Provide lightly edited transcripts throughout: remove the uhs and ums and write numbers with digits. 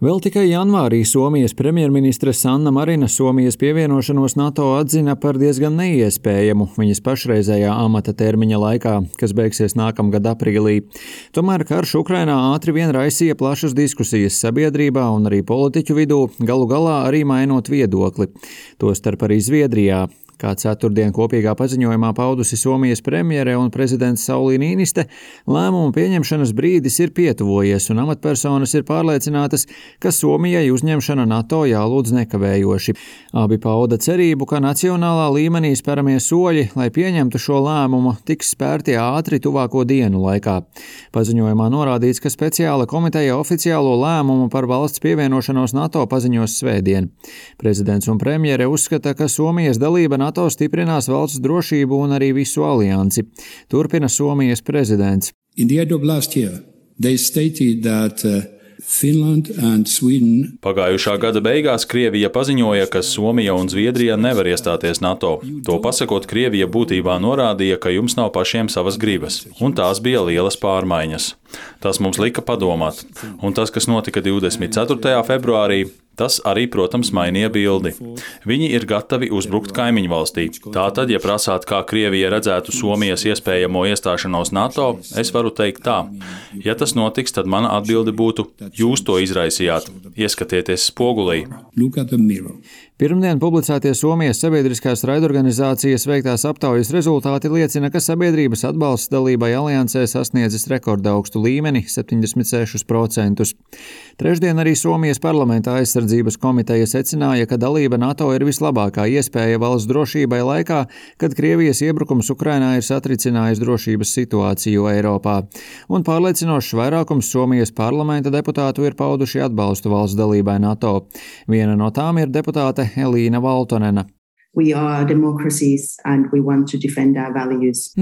Vēl tikai janvārī Somijas premjerministre Sanna Marina Somijas pievienošanos NATO atzina par diezgan neiespējamu viņas pašreizējā amata termiņa laikā, kas beigsies nākamgad aprīlī. Tomēr karš Ukrainā ātri vien raisīja plašas diskusijas sabiedrībā un arī politiķu vidū, galu galā arī mainot viedokli. Tostarp arī Zviedrijā. Kā ceturtdien kopīgā paziņojumā paudusi Somijas premjere un prezidents Sauli Niiniste, lēmumu pieņemšanas brīdis ir pietuvojies un amatpersonas ir pārliecinātas, ka Somijai uzņemšana NATO jālūdz nekavējoši. Abi pauda cerību, ka nacionālā līmenī spēramie soļi, lai pieņemtu šo lēmumu, tiks spērti ātri tuvāko dienu laikā. Paziņojumā norādīts, ka speciāla komiteja oficiālo lēmumu par valsts pievienošanos NATO paziņos svētdien. Prezidents un premjere uzskata, ka Somijas dalība NATO stiprinās valsts drošību un arī visu aliansi. Turpina Somijas prezidents. In the end of last year, they stated that Finland and Sweden. Pagājušā gada beigās Krievija paziņoja, ka Somija un Zviedrija nevar iestāties NATO. To pasakot, Krievija būtībā norādīja, ka jums nav pašiem savas gribas, un tās bija lielas pārmaiņas. Tas mums lika padomāt, un tas, kas notika 24. februārī, tas arī, protams, mainīja bildi. Viņi ir gatavi uzbrukt kaimiņu valstī. Tātad, ja prasāt, kā Krievija redzētu Somijas iespējamo iestāšanos NATO, es varu teikt tā. Ja tas notiks, tad mana atbilde būtu: jūs to izraisījāt. Ieskatieties spogulī. Pirmdien publicētie Somijas sabiedriskās raidorganizācijas veiktās aptaujas rezultāti liecina, ka sabiedrības atbalsts dalībai aliansē sasniedzis rekordaugstu līmeni – 76%. Trešdien arī Somijas parlamentā aizsardzības komiteja secināja, ka dalība NATO ir vislabākā iespēja valsts drošībai laikā, kad Krievijas iebrukums Ukrainā ir satricinājis drošības situāciju Eiropā. Un pārliecinošs vairākums Somijas parlamenta deputātu ir pauduši atbalstu valsts dalībai NATO. Viena no tām ir deputāte Elīna Valtonena.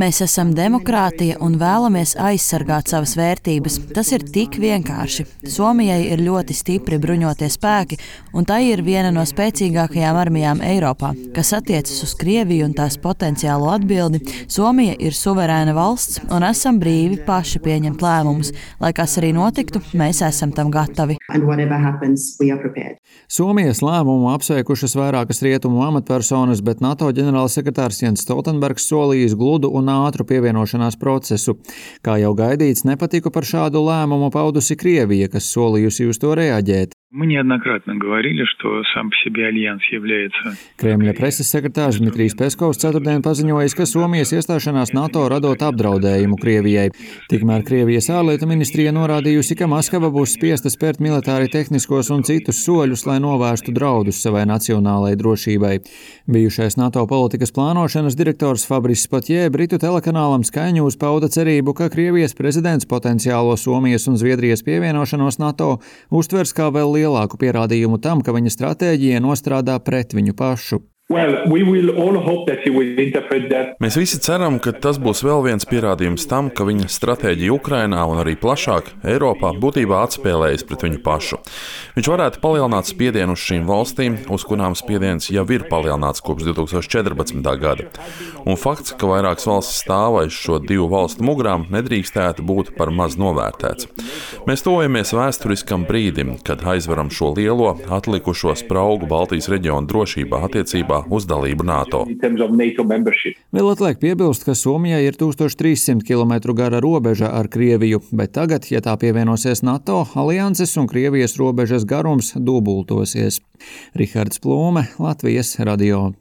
Mēs esam demokrātija un vēlamies aizsargāt savas vērtības. Tas ir tik vienkārši. Somijai ir ļoti stipri bruņotie spēki, un tai ir viena no spēcīgākajām armijām Eiropā. Kas attiecas uz Krieviju un tās potenciālo atbildi, Somija ir suverēna valsts un esam brīvi paši pieņemt lēmumus. Lai kas arī notiktu, mēs esam tam gatavi. Somijas lēmumu apsveikušas vairākas rietumu amatpersonas, bet NATO ģenerālsekretārs Jens Stoltenbergs solījis gludu un ātru pievienošanās procesu. Kā jau gaidīts, nepatiku par šādu lēmumu paudusi Krievija, kas solījusi uz to reaģēt. Kremļa preses sekretārs Dmitrijs Peskovs ceturtdien paziņojis, ka Somijas iestāšanās NATO radot apdraudējumu Krievijai. Tikmēr Krievijas ārlietu ministrija norādījusi, ka Maskava būs spiesta spērt militāri tehniskos un citus soļus, lai novērstu draudus savai nacionālajai drošībai. Bijušais NATO politikas plānošanas direktors Fabris Potjē Britu telekanālam Sky News pauda cerību, ka Krievijas prezidents potenciālo Somijas un Zviedrijas pievienošanos NATO uztvers kā vēl lielāku pierādījumu tam, ka viņa stratēģija nostrādā pret viņu pašu. Mēs visi ceram, ka tas būs vēl viens pierādījums tam, ka viņa stratēģija Ukrainā un arī plašāk Eiropā būtībā atspēlējas pret viņu pašu. Viņš varētu palielināt spiedienu uz šīm valstīm, uz kurām spiediens jau ir palielināts kopš 2014. gada. Un fakts, ka vairākas valstis stāv aiz šo divu valstu mugurām, nedrīkstētu būt par maz novērtēts. Mēs tuvojamies vēsturiskam brīdim, kad aizveram šo lielo, atlikušo spraugu Baltijas reģiona drošībā attiecībā uz dalību NATO. Vēl atliek piebilst, ka Somijai ir 1300 km gara robeža ar Krieviju, bet tagad, ja tā pievienosies NATO, alianses un Krievijas robežas garums dubultosies. Rihards Plūme, Latvijas radio.